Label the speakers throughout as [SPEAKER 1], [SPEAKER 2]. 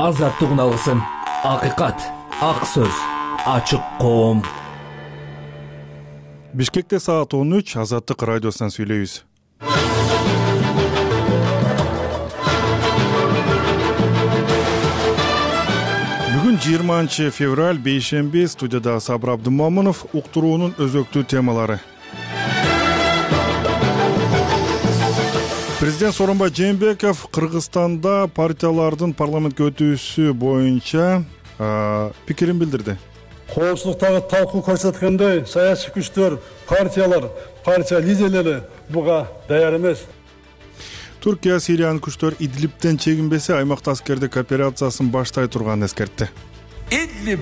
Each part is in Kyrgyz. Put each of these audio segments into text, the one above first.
[SPEAKER 1] азаттык алсын. Акыйкат, ак сөз, ачык коом.
[SPEAKER 2] Бишкекте саат 13 Азаттык радиосунан сүйлөйбүз. Бүгүн 20 февраль бейшемби, студияда Сабыр Абдымомунов. Уктуруунун өзөктүү темалары. Президент Сооронбай Жээнбеков Кыргызстанда партиялардын парламентке өтүүсү боюнча пикирин билдирди.
[SPEAKER 3] Коопсуздуктагы талкуу көрсөткөндөй, саясий күчтөр, партиялар, партия лидерлери буга даяр эмес.
[SPEAKER 2] Түркия Сириянын күчтөр Идлибтен чегинбесе, аймакта аскердик операциясын баштай турганын эскертти.
[SPEAKER 4] Идлиб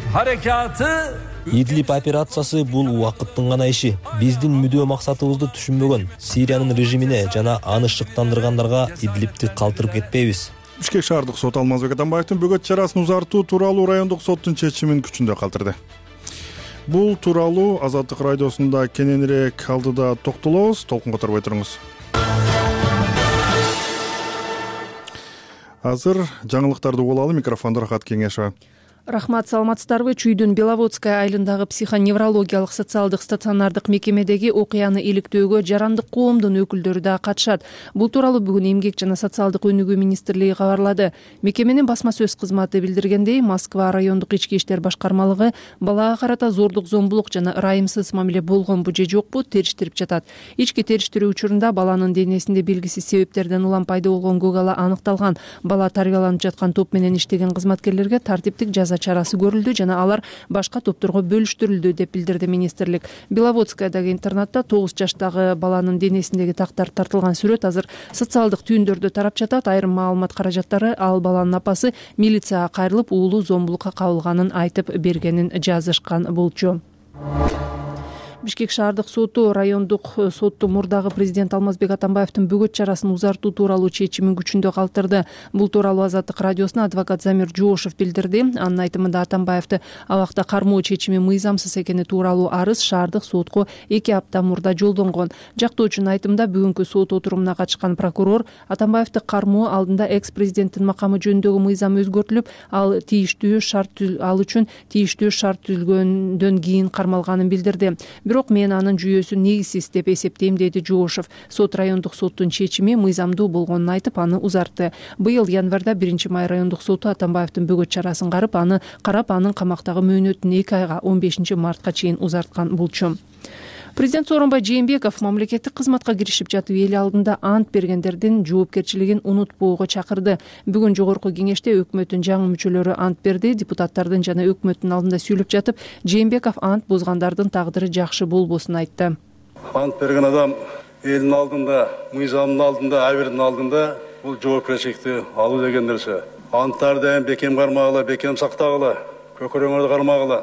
[SPEAKER 4] операциясы бул убакыттын гана иши. Биздин мүдөө максатыбызды түшүнбөгөн Сириянын режимине жана аны шыктандыргандарга Идлибти калтырып кетпейбиз.
[SPEAKER 2] Бишкек шаардык сот Алмазбек Атамбаевдин бөгөт чарасын узартуу тууралуу райондук соттун чечимин күчүндө калтырды. Бул тууралуу Азаттык радиосунда кененирээк алдыда токтолобуз. Толкунга турбой туруңуз. Азыр жаңылыктарды угулалы. Микрофондо Рахат Кеңешова.
[SPEAKER 5] Рахмат, саламатсыздарбы? Чүйдүн Беловодская айылындагы психоневрологиялык социалдык стационардык мекемедеги окуяны иликтөөгө жарандык коомдун өкүлдөрү да катышат. Бул тууралуу бүгүн Эмгек жана социалдык өнүгүү министрлиги кабарлады. Мекеменин басма сөз кызматы билдиргендей, Москва райондук ички иштер башкармалыгы балага карата зордук, зомбулук жана ырайымсыз мамиле болгонбу же жокпу териштирип жатат. Ички териштирүү учурунда баланын денесинде белгисиз себептерден улам пайда болгон көк ала аныкталган. Бала тарбияланып жаткан топ менен иштеген кызматкерлерге тартиптик жаза чарасы көрүлдү жана алар башка топторго бөлүштүрүлдү деп билдирди министрлик. Беловодскаядагы интернатта 9 жаштагы баланын денесиндеги тактар тартылган сүрөт азыр социалдык түйүндөрдө тарап жатат. Айрым маалымат каражаттары ал баланын апасы милицияга кайрылып, уулу зомбулукка кабылганын айтып бергенин жазышкан болчу. Бишкек шаардык соту райондук сотту мурдагы президент Алмазбек Атамбаевдин бөгөт чарасын узартуу тууралуу чечимин күчүндө калтырды. Бул тууралуу Азаттык радиосуна адвокат Замир Жоошев билдирди. Анын айтымында Атамбаевди абакта кармоо чечими мыйзамсыз экени тууралуу арыз шаардык сотко 2 апта мурда жолдонгон. Жактоочунун айтымында бүгүнкү сот отурумуна катышкан прокурор Атамбаевди кармоо алдында экс-президенттин макамы жөнүндөгү мыйзам өзгөртүлүп, ал үчүн тийиштүү шарт түзүлгөндөн кийин кармалганын билдирди. Бирок мен анын жүйөсүн негизсиз деп эсептейм, деди Жоошев. Сот райондук соттун чечими мыйзамдуу болгонун айтып, аны узартты. Быйыл январда 1 май райондук соту Атамбаевдин бөгөт чарасын карап, анын камактагы мөөнөтүн 2 айга 15 мартка чейин узарткан болчу. Президент Сооронбай Жээнбеков мамлекеттик кызматка киришип жатып эл алдында ант бергендердин жоопкерчилигин унутпоого чакырды. Бүгүн жогорку кеңеште өкмөттүн жаңы мүчөлөрү ант берди. Депутаттардын жана өкмөттүн алдында сүйлөп жатып, Жээнбеков ант бузгандардын тагдыры жакшы болбосун айтты.
[SPEAKER 3] Ант берген адам элдин алдында, мыйзамдын алдында, абирдин алдында бул жоопкерчиликти алуу деген нерсе. Анттарды бекем кармагыла, бекем сактагыла, көкөрөңөрдү кармагыла.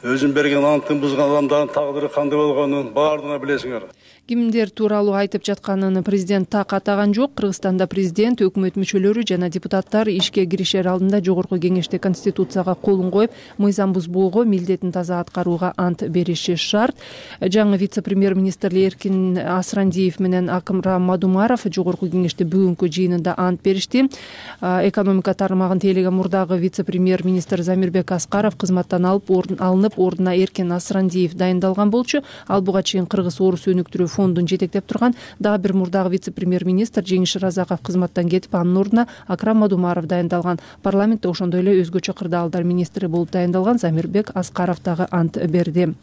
[SPEAKER 3] Өзүн берген антын бузган адамдардын тагдыры кандай болгонун баардыгына билесиңер.
[SPEAKER 5] Кимдер тууралуу айтып жатканын президент так атаган жок. Кыргызстанда президент, өкмөт мүчөлөрү жана депутаттар ишке киришер алдында жогорку кеңеште конституцияга колун коюп, мыйзам бузбоого, милдетин таза аткарууга ант бериши шарт. Жаңы вице-премьер-министр Эркин Асрандиев менен Акымрам Мадумаров жогорку кеңеште бүгүнкү жыйынында ант беришти. Экономика тармагын тейлеген мурдагы вице-премьер-министр Замирбек Аскаров кызматтан алынып, ордуна Эркин Асрандиев дайындалган болчу. Ал буга чейин Кыргыз-Орус өнүктүрүү фондун жетектеп турган. Дагы бир мурдагы вице-премьер-министр Жеңиш Разаков кызматтан кетип, анын ордуна Акрам Мадумаров дайындалган. Парламентте ошондой эле өзгөчө кырдаалдар министри болуп дайындалган Замирбек Аскаров дагы ант берди.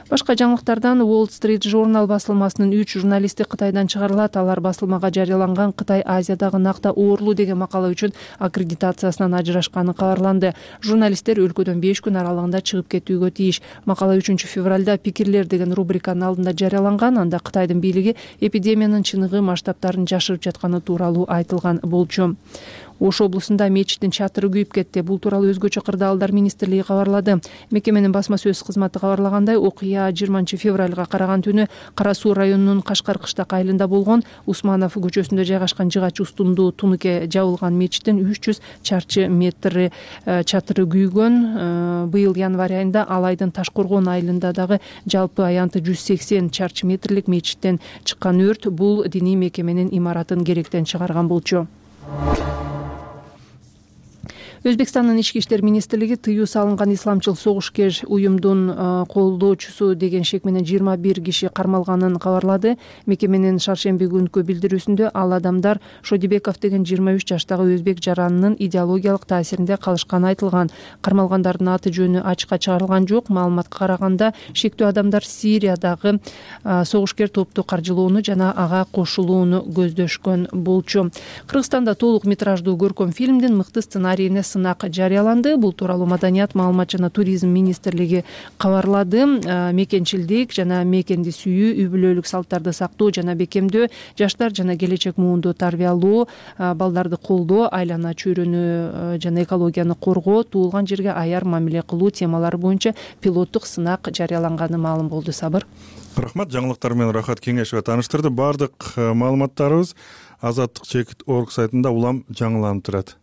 [SPEAKER 5] Башка жаңылыктардан Wall Street Journal басылмасынын 3 журналисти Кытайдан чыгарылат. Алар басылмага жарыяланган Кытай Азиядагы накта оорлуу деген макала үчүн аккредитациясынан ажырашканы кабарланды. Журналисттер өлкөдөн 5 күн аралыгында чыгып кетүүгө тийиш. Макала 3 февралда пикирлер деген рубриканын алдында жарыяланган. Анда Кытайдын бийлиги эпидемиянын чыныгы масштабтарын жашырып жатканы тууралуу айтылган болчу. Ош облусунда мечиттин чатыры күйүп кетти. Бул тууралуу өзгөчө кырдаалдар министрлиги кабарлады. Мекеменин басма сөз кызматы кабарлагандай, окуя 20 февралга караган түнү Кара Суу районунун Кашкар кыштак айылында болгон. Усманов көчөсүндө жайгашкан жыгач устундуу тунуке жабылган мечиттин 300 чарчы метр чатыры күйгөн. Быйыл январь айында Алайдын Ташкоргон айылында дагы жалпы аянты 180 чарчы метрлик мечиттен чыккан өрт бул диний мекеменин имаратын керектен чыгарган болчу. Өзбекстандын ички иштер министрлиги тыюу салынган исламчыл согушкер уюмдун колдоочусу деген шек менен 21 киши кармалганын кабарлады. Мекеменин шаршемби күнкү билдирүүсүндө ал адамдар Шодибеков деген 23 жаштагы өзбек жаранынын идеологиялык таасиринде калышканы айтылган. Кармалгандардын аты жөнү ачыкка чыгарылган жок. Маалыматка караганда шектүү адамдар Сириядагы согушкер топту каржылоону жана ага кошулууну көздөшкөн болчу. Кыргызстанда толук метраждуу көркөм фильмдин мыкты сценарийине сынак жарыяланды. Бул тууралуу Маданият, маалымат жана туризм министрлиги кабарлады. Мекенчилдик жана мекенди сүйүү, үй бүлөлүк салттарды сактоо жана бекемдөө, жаштар жана келечек муунду тарбиялоо, балдарды колдоо, айлана чөйрөнү жана экологияны коргоо, туулган жерге аяр мамиле кылуу темалары боюнча пилоттук сынак жарыяланганы маалым болду. Сабыр.
[SPEAKER 2] Рахмат, жаңылыктар менен Рахат Кеңешова тааныштырды. Бардык маалыматтарыбыз Азаттык.org сайтында улам жаңыланып турат.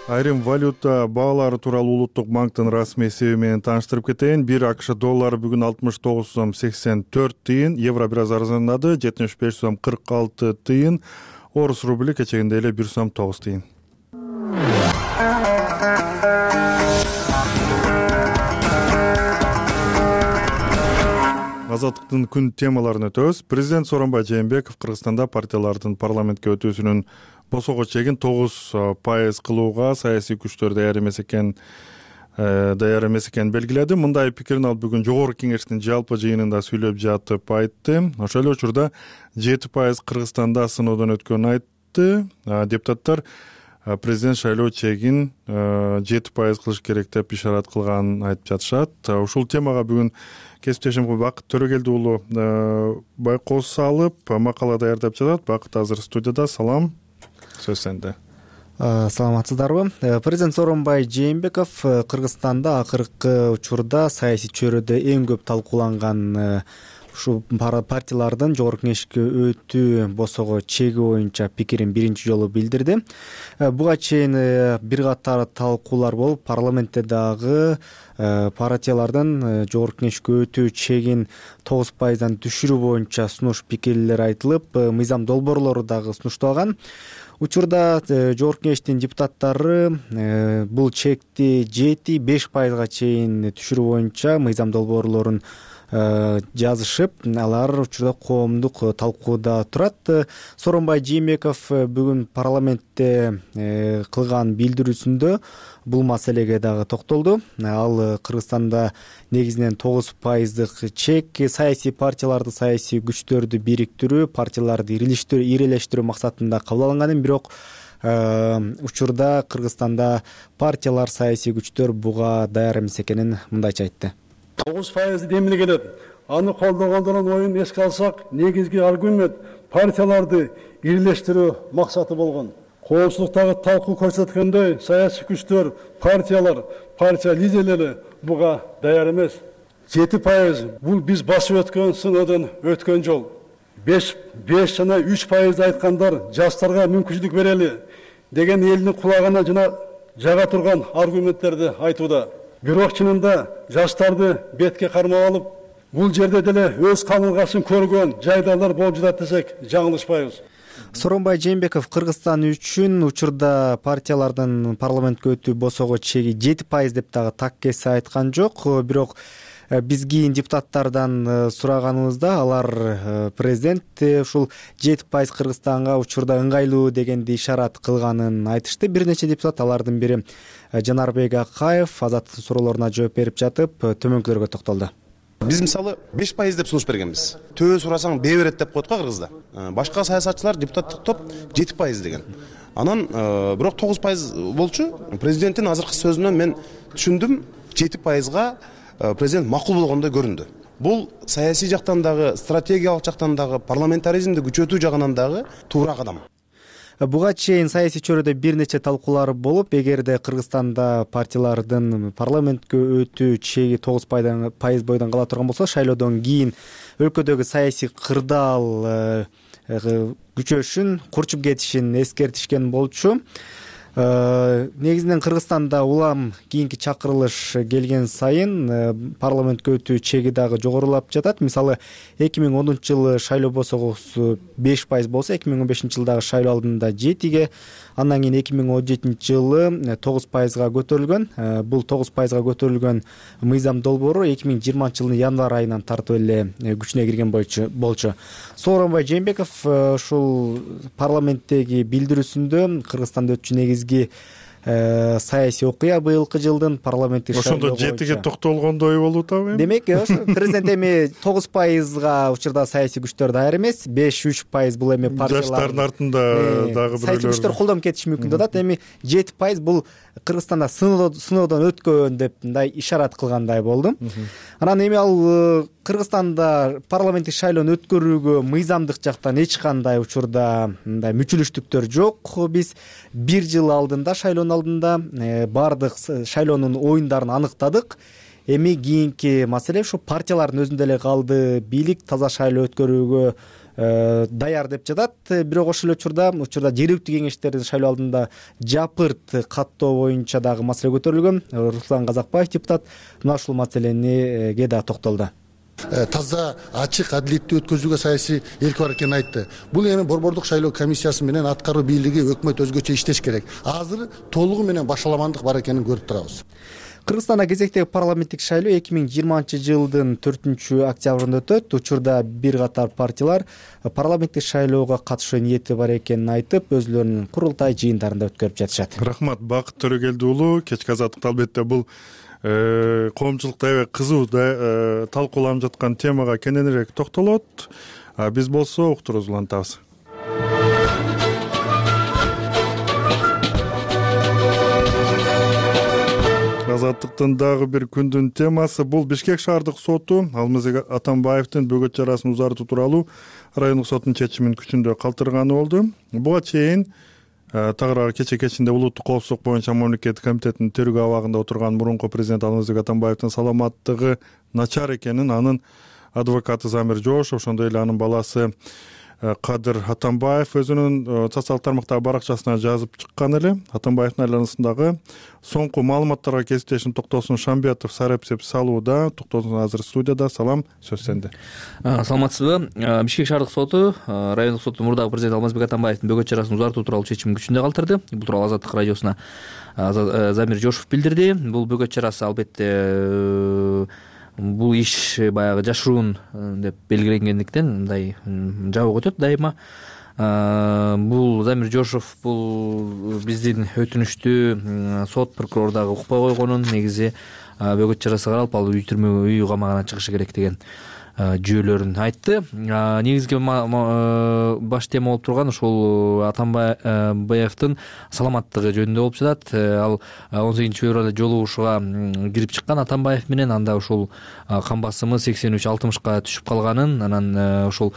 [SPEAKER 2] Айрым валюта баалары тууралуу Улуттук банктын расмий эсеби менен тааныштырып кетейин. 1 АКШ доллары бүгүн 69 сом 84 тыйын, евро бир аз арзандады, 75 сом 46 тыйын, орус рубли кечегинде эле 1 сом 9 тыйын. Азаттыктын күн темаларын өтөбүз. Президент Сооронбай Жээнбеков Кыргызстанда партиялардын парламентке өтүүсүнүн босого чегин 9% кылууга саясий күчтөр даяр эмес экенин белгиледи. Мындай пикирин ал бүгүн Жогорку Кеңештин жалпы жыйынында сүйлөп жатып айтты. Ошол эле учурда 7% Кыргызстанда сыноодон өткөнүн айтты. Депутаттар президент шайлоо чегин 7% кылыш керек деп ишарат кылганын айтып жатышат. Ушул темага бүгүн кесиптешим Бакыт Төрөгелди уулу байкоос салып макала даярдап жатат. Бакыт азыр студияда. Салам, сөз сенде.
[SPEAKER 6] Саламатсыздарбы? Президент Сооронбай Жээнбеков Кыргызстанда акыркы учурда саясий чөйрөдө эң көп талкууланган ушу партиялардын Жогорку Кеңешке өтүү босого чеги боюнча пикирин биринчи жолу билдирди. Буга чейин бир катар талкуулар болуп, парламентте дагы партиялардын Жогорку Кеңешке өтүү чегин 9%дан түшүрүү боюнча сунуш пикирлер айтылып, мыйзам долбоорлору дагы сунушталган. Учурда Жогорку Кеңештин депутаттары бул чекти 7-5%га чейин түшүрүү боюнча мыйзам долбоорлорун жазышып, алар учурда коомдук талкууда турат. Сооронбай Жээнбеков бүгүн парламентте кылган билдирүүсүндө бул маселеге дагы токтолду. Ал Кыргызстанда негизинен 9%дык чек саясий партияларды, саясий күчтөрдү бириктирүү, партияларды ирелештирүү максатында кабыл алынганын, бирок учурда Кыргызстанда партиялар, саясий күчтөр буга даяр эмес экенин мындайча айтты.
[SPEAKER 3] 9% демиле келет. Аны колдогондордун оюн эске алсак, негизги аргумент партияларды ирелештирүү максаты болгон. Коопсуздуктагы талкуу көрсөткөндөй, саясий күчтөр, партиялар, партия лидерлери буга даяр эмес. 7% бул биз басып өткөн сыноодон өткөн жол. 5 жана 3% айткандар жаштарга мүмкүнчүлүк берели деген элдин кулагына жага турган аргументтерди айтууда. Бирок чынында жаштарды бетке кармап алып, бул жерде деле өз камылгасын көргөн жайдарлар болуп жатат десек жаңылышпайбыз.
[SPEAKER 6] Сооронбай Жээнбеков Кыргызстан үчүн учурда партиялардын парламентке өтүү босого чеги 7% деп дагы так кесе айткан жок. Бирок биз кийин депутаттардан сураганыбызда алар президент ушул 7% Кыргызстанга учурда ыңгайлуу дегенди ишарат кылганын айтышты. Бир нече депутат, алардын бири Жанарбек Акаев, Азаттыктын суроолоруна жооп берип жатып, төмөнкүлөргө токтолду.
[SPEAKER 7] Биз мисалы 5% деп сунуш бергенбиз. Төбө сурасаң бээ берет деп коет го Кыргызда. Башка саясатчылар, депутаттык топ 7% деген. Анан бирок 9% болчу. Президенттин азыркы сөзүнөн мен түшүндүм, 7%га президент макул болгондой көрүндү. Бул саясий жактан дагы, стратегиялык жактан дагы, парламентаризмди күчөтүү жагынан дагы туура кадам.
[SPEAKER 6] Буга чейин саясий чөйрөдө бир нече талкуулар болуп, эгерде Кыргызстанда партиялардын парламентке өтүү чеги 9% бойдон кала турган болсо, шайлоодон кийин өлкөдөгү саясий кырдаал күчөшүн, курчуп кетишин эскертишкен болчу. Негизинен Кыргызстанда улам кийинки чакырылыш келген сайын парламентке өтүү чеги дагы жогорулап жатат. Мисалы 2010 жылы шайлоо босогусу 5% болсо 2015 жылдагы шайлоо алдында 7-ге, андан кийин 2017 жылы 9%га көтөрүлгөн. Бул 9%га көтөрүлгөн мыйзам долбоору 2020 жылдын январь айынан тартып эле күчүнө кирген болчу. Сооронбай Жээнбеков ушул парламенттеги билдирүүсүндө Кыргызстанда өтчү негизги саясий окуя быйылкы жылдын парламенттик шайлоо
[SPEAKER 2] боюнча. Ошондо 7-ге токтолгондой болуп атабы?
[SPEAKER 6] Демек, президент эми 9%га учурда саясий күчтөр даяр эмес, 5-3% бул эми партиялар
[SPEAKER 2] жаштардын артында дагы бирөөлөр
[SPEAKER 6] саясий күчтөр колдонуп кетиши мүмкүн деп атат. Эми 7% бул Кыргызстанда сыноодон өткөн деп мындай ишарат кылгандай болду. Анан эми ал Кыргызстанда парламенттик шайлоону өткөрүүгө мыйзамдык жактан эч кандай учурда мындай мүчүлүштүктөр жок. Биз 1 жыл алдында, шайлоонун алдында баардык шайлоонун оюндарын аныктадык. Эми кийинки маселе ушу партиялардын өзүндө эле калды. Бийлик таза шайлоо өткөрүүгө даяр деп жатат. Бирок ошол учурда жергиликтүү кеңештердин шайлоо алдында жапырт каттоо боюнча дагы маселе көтөрүлгөн. Руслан Казакбаев депутат мына ушул маселеге да токтолду.
[SPEAKER 8] Таза, ачык, адилеттүү өткөзүүгө саясий эрки бар экенин айтты. Бул эми борбордук шайлоо комиссиясы менен аткаруу бийлиги, өкмөт өзгөчө иштеш керек. Азыр толугу менен башаламандык бар экенин көрүп турабыз.
[SPEAKER 6] Кыргызстанда кезектеги парламенттик шайлоо 2020 жылдын 4-октябрында өтөт. Учурда бир катар партиялар парламенттик шайлоого катышуу ниети бар экенин айтып, өзлөрүнүн курултай жыйындарында өткөрүп жатышат.
[SPEAKER 2] Рахмат, Бакыт Төрөгелди уулу. Кечки азаттыкта албетте бул коомчулукта аябай кызуу талкууланып жаткан темага кененирээк токтолот. Биз болсо уктуруубузду улантабыз. Азаттыктын дагы бир күндүн темасы бул Бишкек шаардык соту Алмазбек Атамбаевдин бөгөт чарасын узартуу тууралуу райондук соттун чечимин күчүндө калтырганы болду. Буга чейин тагыраак кечинде улуттук коопсуздук боюнча мамлекеттик комитеттин тергөө абагында отурган мурунку президент Алмазбек Атамбаевдин саламаттыгы начар экенин анын адвокаты Замир Жошов, ошондой эле анын баласы Кадыр Атамбаев өзүнүн социалдык тармактагы баракчасына жазып чыккан эле. Атамбаевдин айланасындагы соңку маалыматтарга кесиптешим Токтосун Шамбетов сарапсеп салууда. Токтосун азыр студияда. Салам, сөз сенде.
[SPEAKER 1] Саламатсызбы? Бишкек шаардык соту райондук соттун мурдагы президент Алмазбек Атамбаевдин бөгөт чарасын узартуу тууралуу чечимин күчүндө калтырды. Бул тууралуу Азаттык радиосуна Замир Жошов билдирди. Бул бөгөт чарасы албетте бул иш баягы жашыруун деп белгиленгендиктен мындай жабык өтөт дайыма. Бул Замир Жошов бул биздин өтүнүштү сот прокурор дагы укпай койгонун, негизи бөгөт чарасы каралып ал үй камагынан чыгышы керек деген жүйөлөрүн айтты. Негизги баш тема болуп турган ушул Атамбаевдин саламаттыгы жөнүндө болуп жатат. Ал 18-февралда жолугушууга кирип чыккан Атамбаев менен, анда ушул кан басымы 83-60ка түшүп калганын, анан ошол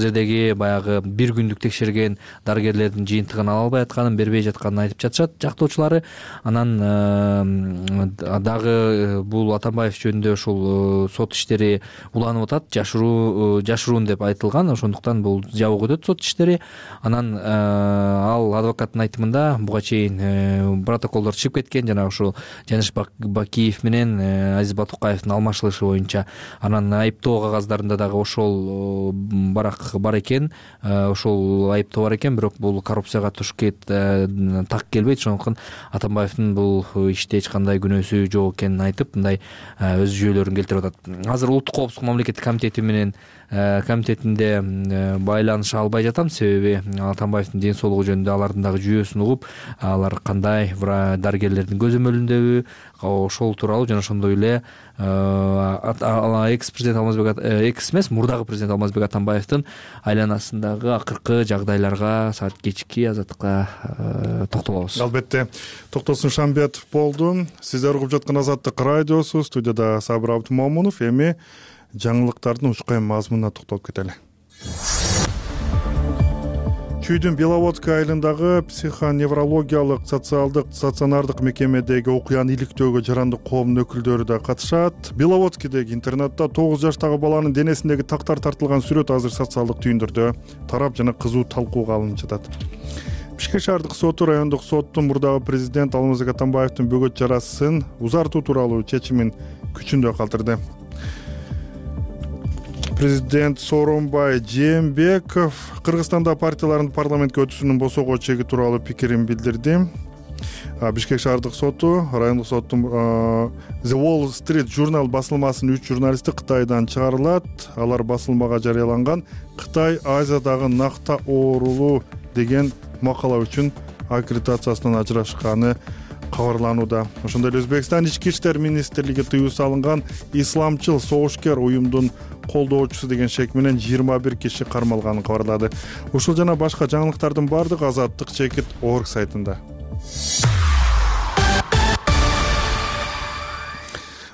[SPEAKER 1] жердеги баягы бир күндүк текшерген дарыгерлердин жыйынтыгын ала албай атканын, бербей жатканын айтып жатышат жактоочулары. Анан дагы бул Атамбаев жөнүндө ушул сот иштери уланып атат, жашыруун деп айтылган, ошондуктан бул жабык өтөт сот иштери. Анан ал адвокаттын айтымында буга чейин протоколдор чыгып кеткен, жана ушул Жаныш Бакиев менен Азиз Батукаевдин алмашылышы боюнча. Анан айыптоо кагаздарында дагы ошол барак бар экен, ошол айыптоо бар экен, бирок бул коррупцияга так келбейт. Ошондуктан Атамбаевдин бул иште эч кандай күнөөсү жок экенин айтып, мындай өз жүйөлөрүн келтирип атат. Азыр улуттук коопсуздук мамлекеттик комитети менен комитетинде байланыша албай жатам, себеби Атамбаевдин ден соолугу жөнүндө алардын дагы жүйөсүн угуп, алар кандай дарыгерлердин көзөмөлүндөбү, ошол тууралуу жана ошондой эле мурдагы президент Алмазбек Атамбаевдин айланасындагы акыркы жагдайларга саат кечки азаттыкка токтолобуз.
[SPEAKER 2] Албетте, Токтосун Шамбетов болду. Сиздер угуп жаткан Азаттык радиосу, студияда Сабыр Абдымомунов. Эми жаңылыктардын учкай мазмунуна токтолуп кетели. Чүйдүн Беловодская айылындагы психоневрологиялык социалдык стационардык мекемедеги окуяны иликтөөгө жарандык коомдун өкүлдөрү да катышат. Беловодскийдеги интернатта 9 жаштагы баланын денесиндеги тактар тартылган сүрөт азыр социалдык түйүндөрдө тарап жана кызуу талкууга алынып жатат. Бишкек шаардык соту райондук соттун мурдагы президент Алмазбек Атамбаевдин бөгөт чарасын узартуу тууралуу чечимин күчүндө калтырды. Президент Сооронбай Жээнбеков Кыргызстанда партиялардын парламентке өтүүсүнүн босоого чеги тууралуу пикирин билдирди. Бишкек шаардык соту райондук соттун The Wall Street журнал басылмасынын 3 журналисти Кытайдан чыгарылат. Алар басылмага жарыяланган Кытай Азиядагы накта оорулуу деген макала үчүн аккредитациясынан ажырашканы кабарланууда. Ошондой эле Өзбекстан ички иштер министрлиги тыюу салынган исламчыл согушкер уюмдун колдоочусу деген шек менен 21 киши кармалганын кабарлады. Ушул жана башка жаңылыктардын баардыгы Азаттык чекит org сайтында.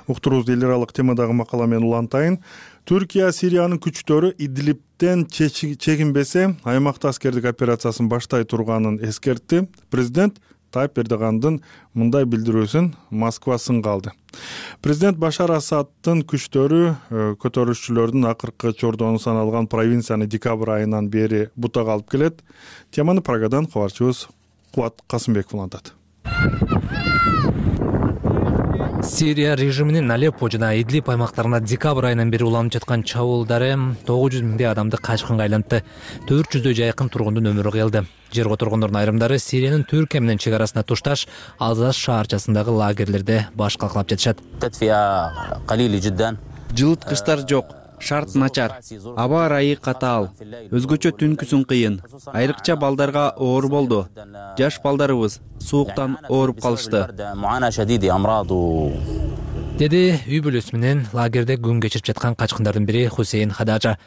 [SPEAKER 2] Уктуруубузду эл аралык темадагы макала менен улантайын. Түркия Сириянын күчтөрү Идлибтен чегинбесе, аймакта аскердик операциясын баштай турганын эскертти. Президент Тайып Эрдогандын мындай билдирүүсүн Москва сынга алды. Президент Башар Асаддын күчтөрү көтөрүлүшчүлөрдүн акыркы чордону саналган провинцияны декабрь айынан бери бутага алып келет. Теманы Прагадан кабарчыбыз Кубат Касымбеков улантат.
[SPEAKER 1] Сирия режиминин Алеппо жана Идлиб аймактарына декабрь айынан бери уланып жаткан чабуулдары 900 миңдей адамды качкынга айлантты. 400дөй жайкын тургундун өмүрү кыйылды. Жерге отургондордун айрымдары Сириянын Түркия менен чек арасына тушташ Азаз шаарчасындагы лагерлерде баш калкалап жатышат.
[SPEAKER 9] Жылыткычтар жок, шарт начар, аба ырайы катаал, өзгөчө түнкүсүн кыйын. Айрыкча балдарга оор болду. Жаш балдарыбыз сууктан ооруп калышты.
[SPEAKER 1] Деди үй бүлөсү менен лагерде күн кечирип жаткан качкындардын бири Хусейн Хадажа.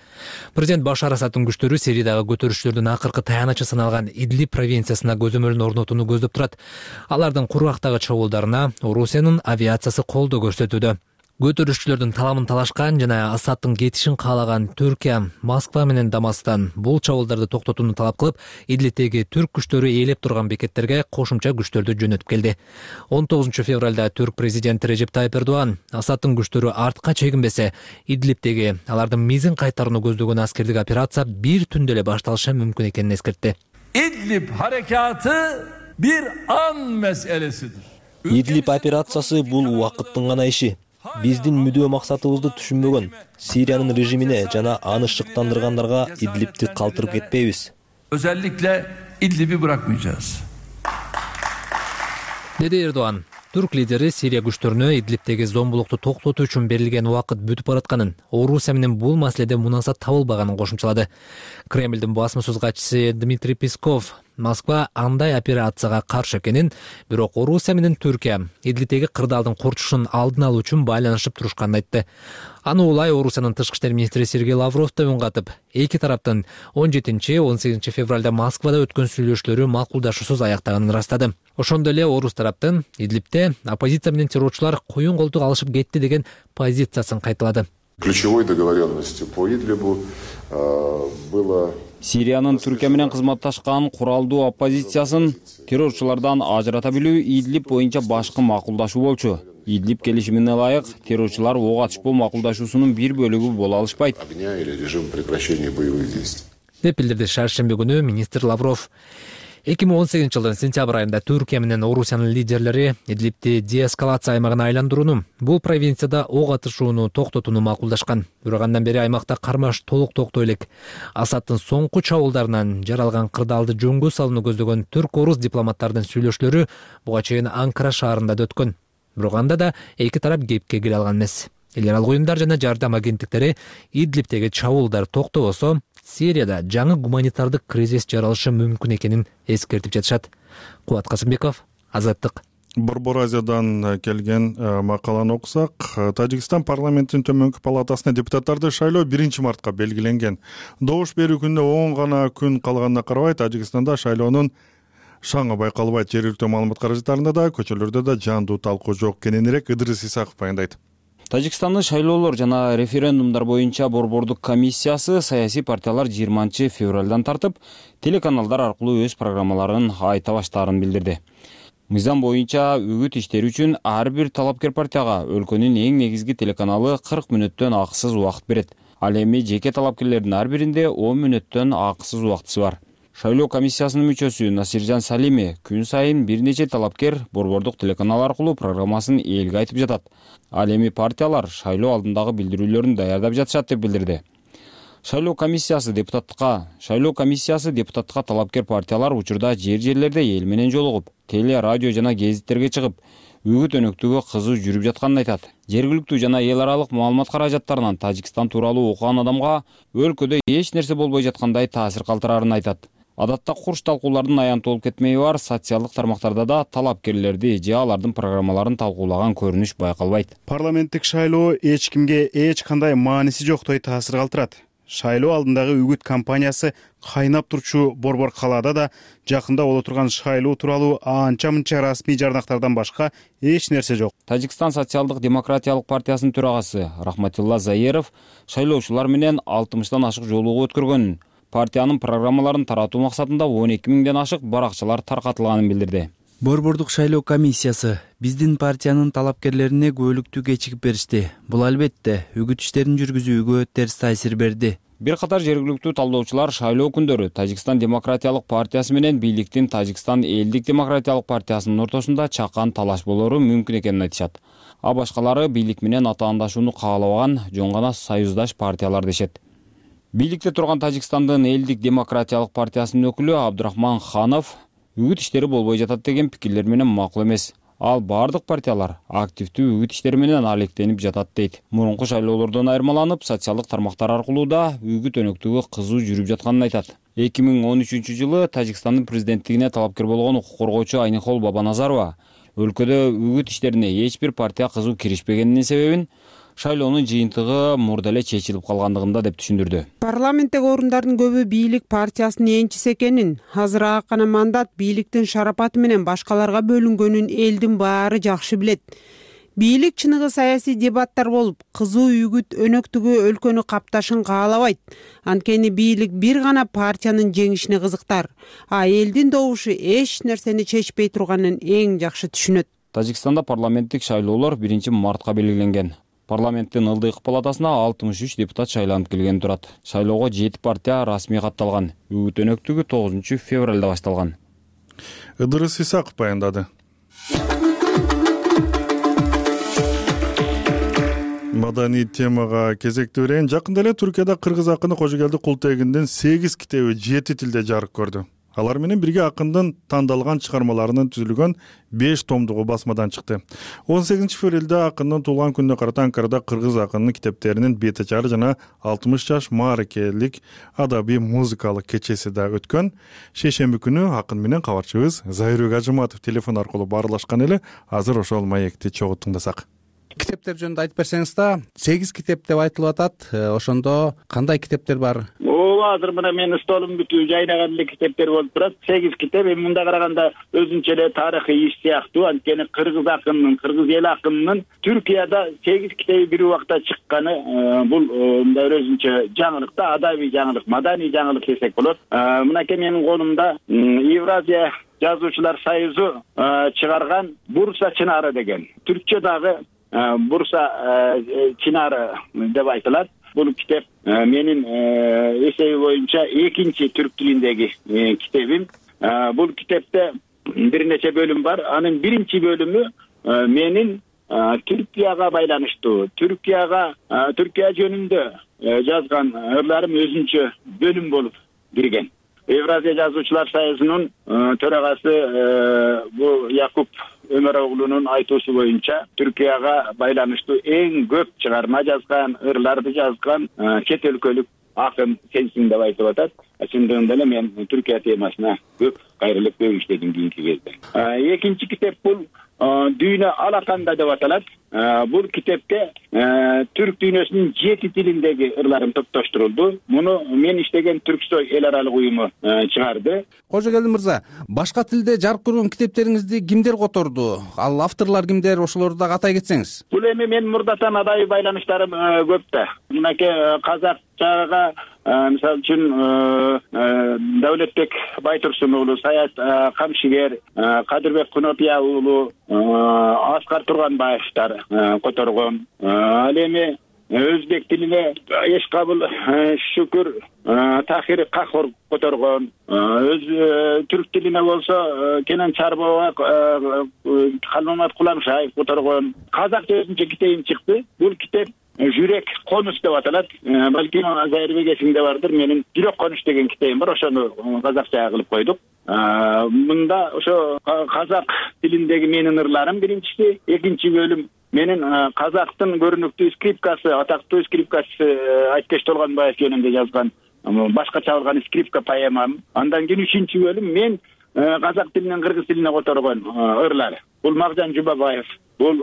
[SPEAKER 1] Президент Башар Асаддын күчтөрү Сириядагы көтөрүшчүлөрдүн акыркы таянычы саналган Идлиб провинциясына көзөмөлүн орнотууну көздөп турат. Алардын кургактагы чабуулдарына Орусиянын авиациясы колдоо көрсөтүүдө. Көтөрүшчүлөрдүн таламын талашкан жана Асаддын кетишин каалаган Түркия Москва менен Дамасктан бул чабуулдарды токтотууну талап кылып, Идлибтеги түрк күчтөрү ээлеп турган бекеттерге кошумча күчтөрдү жөнөтүп келди. 19 февралда түрк президенти Режеп Тайып Эрдоган Асаддын күчтөрү артка чегинбесе, Идлибтеги алардын мизин кайтарууну көздөгөн аскердик операция бир түндө эле башталышы мүмкүн экенин эскертти.
[SPEAKER 10] İdlib harekatı bir an meselesidir.
[SPEAKER 4] Идлиб операциясы бул убакыттын гана иши. Биздин мүдөө максатыбызды түшүнбөгөн Сириянын режимине жана аны шыктандыргандарга Идлибти калтырып кетпейбиз.
[SPEAKER 10] Özellikle İdlib'i bırakmayacağız.
[SPEAKER 1] Деди Эрдоган. Түрк лидери Сирия күчтөрүнө Идлибтеги зомбулукту токтотуу үчүн берилген убакыт бүтүп баратканын, Орусия менен бул маселеде мунасат табылбаганын кошумчалады. Кремлдин басмасөз катчысы Дмитрий Песков Москва андай операцияга каршы экенин, бирок Орусия менен Түркия Идлибтеги кырдаалдын курчушун алдын алуу үчүн байланышып турушканын айтты. Аны улай Орусиянын тышкы иштер министри Сергей Лавров да үн катып, эки тараптын 17-18 февралда Москвада өткөн сүйлөшүүлөрү макулдашуусуз аяктаганын ырастады. Ошондой эле Орус тараптын Идлибте оппозиция менен террорчулар коюн колтук алышып кетти деген позициясын кайталады.
[SPEAKER 11] Ключевой договоренностью по Идлибу было
[SPEAKER 9] Сириянын Түркия менен кызматташкан куралдуу оппозициясын террорчулардан ажырата билүү Идлиб боюнча башкы макулдашуу болчу. Идлиб келишимине ылайык террорчулар ок атышпоо макулдашуусунун бир бөлүгү боло алышпайт.
[SPEAKER 1] Деп билдирди шаршемби күнү министр Лавров. 2018 жылдын сентябрь айында Түркия менен Орусиянын лидерлери Идлибти деэскалация аймагына айландырууну, бул провинцияда ок атышууну токтотууну макулдашкан. Бирок андан бери аймакта кармаш толук токтой элек. Асаддын соңку чабуулдарынан жаралган кырдаалды жөнгө салууну көздөгөн түрк-орус дипломаттардын сүйлөшүүлөрү буга чейин Анкара шаарында да өткөн. Бирок анда да эки тарап кепке кире алган эмес. Эл аралык уюмдар жана жардам агенттиктери Идлибтеги чабуулдар токтобосо, Сирияда жаңы гуманитардык кризис жаралышы мүмкүн экенин эскертип жатышат. Кубат Касымбеков, Азаттык.
[SPEAKER 2] Борбор Азиядан келген макаланы окусак, Тажикстан парламентинин төмөнкү палатасына депутаттарды шайлоо 1-мартка белгиленген. Добуш берүү күнүнө 10 гана күн калганына карабай, Тажикстанда шайлоонун шаңы байкалбайт. Жергиликтүү маалымат каражаттарында да, көчөлөрдө да жандуу талкуу жок. Кененирээк Ыдырыс Исаков баяндайт.
[SPEAKER 9] Тажикстандын шайлоолор жана референдумдар боюнча борбордук комиссиясы саясий партиялар 20 февралдан тартып, телеканалдар аркылуу өз программаларын айта баштаарын билдирди. Мыйзам боюнча үгүт иштери үчүн ар бир талапкер партияга өлкөнүн эң негизги телеканалы 40 мүнөттөн акысыз убакыт берет. Ал эми жеке талапкерлердин ар биринде 10 мүнөттөн акысыз убактысы бар. Шайлоо комиссиясынын мүчөсү Насиржан Салими күн сайын бир нече талапкер борбордук телеканал аркылуу программасын элге айтып жатат. Ал эми партиялар шайлоо алдындагы билдирүүлөрүн даярдап жатышат деп билдирди. Шайлоо комиссиясы депутаттыкка талапкер партиялар учурда жерлерде эл менен жолугуп, теле, радио жана гезиттерге чыгып, үгүт өнөктүгү кызуу жүрүп жатканын айтат. Жергиликтүү жана эл аралык маалымат каражаттарынан Тажикстан тууралуу окуган адамга өлкөдө эч нерсе болбой жаткандай таасир калтырарын айтат. Адатта курч талкуулардын аянты болуп кетмеги бар социалдык тармактарда да талапкерлерди же алардын программаларын талкуулаган көрүнүш байкалбайт.
[SPEAKER 12] Парламенттик шайлоо эч кимге эч кандай мааниси жоктой таасир калтырат. Шайлоо алдындагы үгүт кампаниясы кайнап турчу борбор калаада да жакында боло турган шайлоо тууралуу анча-мынча расмий жарнактардан башка эч нерсе жок.
[SPEAKER 9] Тажикстан социалдык демократиялык партиясынын төрагасы Рахматилла Заеров шайлоочулар менен 60тан ашык жолугуу өткөргөнүн, партиянын программаларын таратуу максатында 12 000ден ашык баракчалар таркатылганын билдирди.
[SPEAKER 13] Борбордук шайлоо комиссиясы биздин партиянын талапкерлерине күбөлүктүү кечигип беришти. Бул албетте үгүт иштерин жүргүзүүгө терс таасир берди.
[SPEAKER 9] Бир катар жергиликтүү талдоочулар шайлоо күндөрү Тажикстан демократиялык партиясы менен бийликтин Тажикстан элдик демократиялык партиясынын ортосунда чакан талаш болору мүмкүн экенин айтышат. А башкалары бийлик менен атаандашууну каалабаган жөн гана союздаш партиялар дешет. Бийликте турган Тажикстандын элдик демократиялык партиясынын өкүлү Абдурахман Ханов үгүт иштери болбой жатат деген пикирлер менен макул эмес. Ал бардык партиялар активдүү үгүт иштери менен алектенип жатат дейт. Мурунку шайлоолордон айырмаланып, социалдык тармактар аркылуу да үгүт өнөктүгү кызуу жүрүп жатканын айтат. 2013-жылы Тажикстандын президенттигине талапкер болгон укук коргоочу Айнихол Бабаназарова өлкөдө үгүт иштерине эч бир партия кызуу киришпегенинин себебин шайлоонун жыйынтыгы мурда эле чечилип калгандыгында деп түшүндүрдү.
[SPEAKER 14] Парламенттеги орундардын көбү бийлик партиясынын энчиси экенин, азыр гана мандат бийликтин шарапаты менен башкаларга бөлүнгөнүн элдин баары жакшы билет. Бийлик чыныгы саясий дебаттар болуп, кызуу үгүт өнөктүгү өлкөнү капташын каалабайт. Анткени бийлик бир гана партиянын жеңишине кызыктар, а элдин добушу эч нерсени чечпей турганын эң жакшы түшүнөт.
[SPEAKER 9] Тажикстанда парламенттик шайлоолор 1-мартка белгиленген. Парламенттин ылдыйкы палатасына 63 депутат шайланып келген турат. Шайлоого 7 партия расмий катталган. Үгүт өнөктүгү 9-февралда башталган.
[SPEAKER 2] Ыдырыс Исаков баяндады. Маданий темага кезекти берейин. Жакында эле Түркияда кыргыз акыны Кожогелди Култегиндин 8 китеби 7 тилде жарык көрдү. Алар менен бирге акындын тандалган чыгармаларынын түзүлгөн 5 томдугу басмадан чыкты. 18-февралда акындын туулган күнүнө карата Анкарада кыргыз акынынын китептеринин бет ачары жана 60 жаш мааракелик адабий музыкалык кечеси да өткөн. Шейшемби күнү акын менен кабарчыбыз Зайырбек Ажыматов телефон аркылуу баарлашкан эле. Азыр ошол маекти чогуу тыңдасак.
[SPEAKER 15] Китептер жөнүндө айтып берсеңиз да, 8 китеп деп айтылып атат. Ошондо кандай китептер бар?
[SPEAKER 16] Азыр мына менин столум бүтүү жайнаган эле китептер болуп турат. 8 китеп. Эми мында караганда өзүнчө эле тарыхый иш сыяктуу. Анткени кыргыз акынынын, кыргыз эл акынынын Түркияда 8 китеби бир убакта чыкканы бул мында өзүнчө жаңылык да, адабий жаңылык, маданий жаңылык десек болот. Мынакей менин колумда Евразия жазуучулар союзу чыгарган Бурса чынары деген. Түркчө дагы Бурса чынары деп айтылат. Бул китеп менин эсеби боюнча экинчи түрк тилиндеги китебим. Бул китепте бир нече бөлүм бар. Анын биринчи бөлүмү менин Түркияга байланыштуу, Түркия жөнүндө жазган ырларым өзүнчө бөлүм болуп кирген. Евразия жазуучулар союзунун төрагасы бул Якуп Өмөрөглунун айтуусу боюнча Түркияга байланыштуу эң көп чыгарма жазган, ырларды жазган чет өлкөлүк акын сенсиң деп айтып атат. Чындыгында эле мен Түркия темасына көп кайрылып көп иштедим кийинки кезде. Экинчи китеп бул Дүйнө Алаканда деп аталат. Бул китепке түрк дүйнөсүнүн 7 тилиндеги ырларым топтоштурулду. Муну мен иштеген Түрксой эл аралык уюму чыгарды.
[SPEAKER 15] Кожогелди мырза, башка тилде жарык көргөн китептериңизди кимдер которду? Ал авторлор кимдер? Ошолорду дагы атай кетсеңиз.
[SPEAKER 16] Бул эми мен мурдатан адайы байланыштарым көп да. Мынакей казакчага мисалы үчүн Даулетбек Байтурсун уулу, Саят Камшигер, Кадырбек Кунопия уулу, Аскар Турганбаевтар которгон. Ал эми өзбек тилине Эшкабыл Шүкүр Тахир Кахор которгон, түрк тилине болсо Кенен Чарбова Халмамат Куламшаев которгон. Казак өзүнчө китебим чыкты. Бул китеп Жүрөк конуш деп аталат. Балким Зайырбек эсиңде бардыр. Менин Жүрөк конуш деген китебим бар. Ошону казакча кылып койдук. Мында ошо казак тилиндеги менин ырларым биринчиси, экинчи бөлүм менин казактын көрүнүктүү скрипкасы, атактуу скрипкасы Айткеш Толгонбаев жөнүндө жазган башка чабылган скрипка поэмам. Андан кийин үчүнчү бөлүм мен казак тилинен кыргыз тилине которгон ырлар. Бул Макжан Жубабаев, бул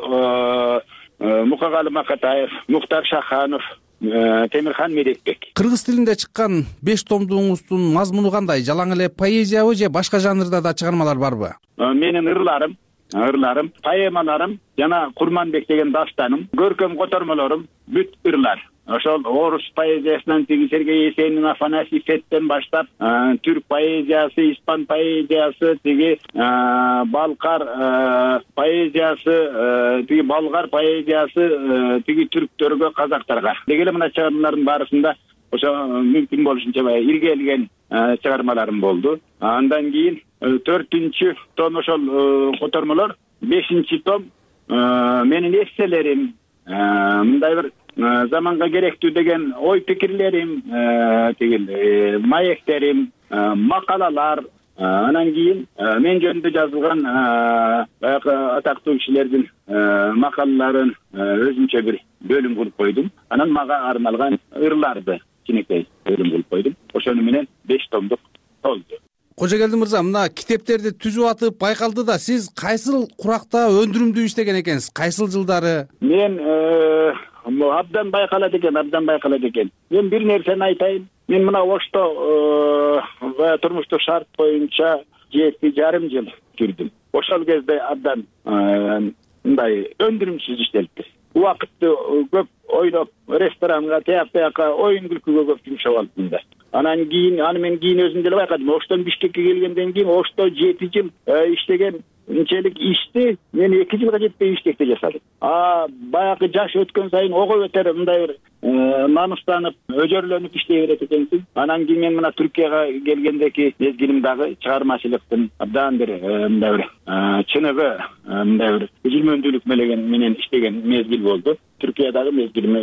[SPEAKER 16] Мукагалы Макатаев, Мухтар Шаханов, Темирхан Медетбек.
[SPEAKER 15] Кыргыз тилинде чыккан 5 томдуңуздун мазмуну кандай? Жалаң эле поэзиябы же башка жанрда да чыгармалар барбы?
[SPEAKER 16] Менин ырларым, поэмаларым жана Курманбек деген дастаным, көркөм котормолорум бүт ырлар. Ошол орус поэзиясынан тиги Сергей Есенин, Афанасий Феттен баштап, түрк поэзиясы, испан поэзиясы, тиги балкар поэзиясы, тиги болгар поэзиясы, тиги түрктөргө, казактарга. Деги эле мына чыгармалардын барысында ошо мүмкүн болушунча иргелген чыгармаларым болду. Андан кийин 4-чү том ошол котормолор, 5-чи том менин эсселерим, мындай бир заманга керектүү деген ой пикирлерим, тигил маектерим, макалалар, анан кийин мен жөнүндө жазылган баягы атактуу кишилердин макалаларын өзүнчө бир бөлүм кылып койдум. Анан мага арналган ырларды кичинекей бөлүм кылып койдум. Ошону менен 5 томдук толду.
[SPEAKER 15] Кожогелди мырза, мына китептерди түзүп атып байкалды да, сиз кайсыл куракта өндүрүмдүү иштеген экенсиз? Кайсыл жылдары?
[SPEAKER 16] Мен абдан байкалат экен. Мен бир нерсени айтайын. Мен мына Ошто турмуштук шарт боюнча 7,5 жыл жүрдүм. Ошол кезде абдан мындай өндүрүмсүз иштелиппиз. Убакытты көп ойлоп, ресторанга, тияк-бияка оюн күлкүгө көп жумшап алдым да. Анан мен кийин өзүм деле байкадым. Оштон Бишкекке келгенден кийин Ошто 7 жыл иштеген инчелик ишти мен 2 жылга жетпей Бишкекте жасадым. Баягы жаш өткөн сайын ого бетер мындай бир намыстанып, өжөрлөнүп иштей берет экенсиң. Анан кийин мен мына Түркияга келгендеки мезгилим дагы чыгармачылыктын абдан бир мындай бир чыныгы, мындай бир үзүлмөндүүлүк менен иштеген мезгил болду. Түркиядагы мезгилиме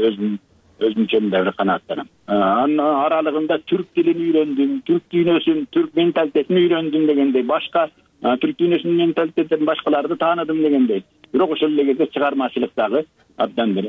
[SPEAKER 16] өзүмчө мындай бир канааттанам. Анын аралыгында түрк тилин үйрөндүм, түрк дүйнөсүн, түрк менталитетин үйрөндүм дегендей, башка түрк дүйнөсүнүн менталитетин башкаларды тааныдым дегендей. Бирок ошол эле кезде чыгармачылыктагы абдан бир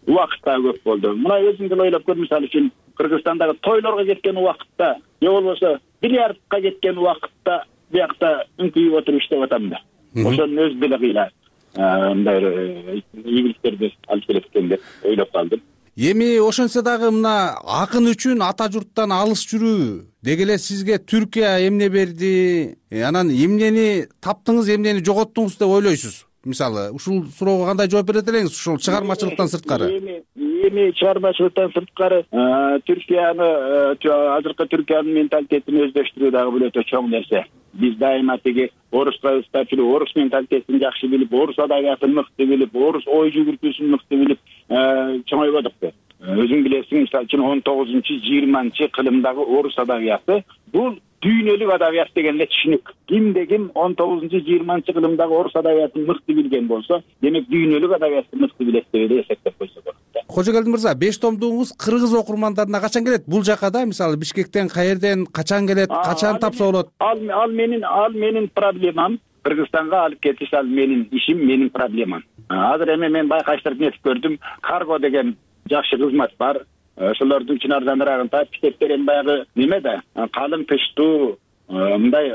[SPEAKER 16] убакыт дагы көп болду. Мына өзүң деле ойлоп көр, мисалы үчүн Кыргызстандагы тойлорго кеткен убакытта, же болбосо бильярдка кеткен убакытта биякта үңкүйүп отуруп иштеп атам да. Ошонун өзү деле кыйла мындай ийгиликтерди алып келет экен деп ойлоп калдым.
[SPEAKER 15] Эми ошончо дагы мына акын үчүн ата журттан алыс жүрүү деги эле сизге Түркия эмне берди? Анан эмнени таптыңыз, эмнени жоготтуңуз деп ойлойсуз? Мисалы, ушул суроого кандай жооп берет элеңиз? Ушул чыгармачылыктан сырткары.
[SPEAKER 16] Эми чыгармачылыктан сырткары Түркияны, азыркы Түркиянын менталитетин өздөштүрүү дагы бул өтө чоң нерсе. Биз дайыма тиги орусга ыстап жүрүп, орус менталитетин жакшы билип, орус адабиятын мыкты билип, орус ой жүгүртүүсүн мыкты билип чоңойбодук да. Өзүң билесиң, мисалы үчүн 19-20 кылымдагы орус адабияты бул дүйнөлүк адабият деген эле түшүнүк. Кимде ким 19-20 кылымдагы орус адабиятын мыкты билген болсо, демек дүйнөлүк адабиятты мыкты билет деп эле эсептеп койсо болот да.
[SPEAKER 15] Кожогелди мырза, 5 томдуңуз кыргыз окурмандарына качан келет? Бул жака да, мисалы Бишкектен каерден качан келет, качан тапса болот?
[SPEAKER 16] Ал менин проблемам. Кыргызстанга алып кетиш ал менин ишим, менин проблемам. Азыр эми мен байкаштырып нетип көрдүм. Карго деген жакшы кызмат бар. Ошолордун үчүн арзаныраак таап китептер эми баягы неме да, калың тыштуу, мындай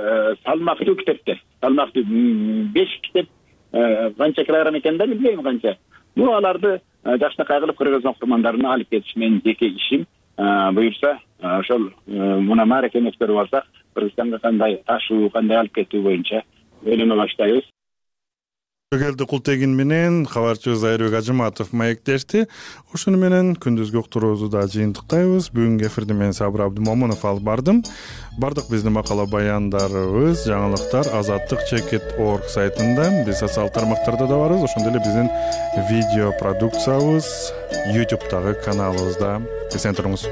[SPEAKER 16] салмактуу китептер. Салмактуу 5 китеп канча килограмм экен да билбейм канча. Бул аларды жакшынакай кылып кыргыз окурмандарына алып кетиш менин жеке ишим. Буюрса, ошол муна мааракени өткөрүп алсак, Кыргызстанга кандай ташуу, кандай алып кетүү боюнча ойлоно баштайбыз.
[SPEAKER 2] Келди Култегин менен кабарчыбыз Айырбек Ажыматов маектешти. Ошону менен күндүзгү уктуруубузду да жыйынтыктайбыз. Бүгүнкү эфирди мен Сабыр Абдымомунов алып бардым. Бардык биздин макала баяндарыбыз, жаңылыктар azatlyk.org сайтында, биз социалдык тармактарда да барбыз. Ошондой эле биздин видео продукциябыз YouTube'дагы каналыбызда. Эсен туруңуз.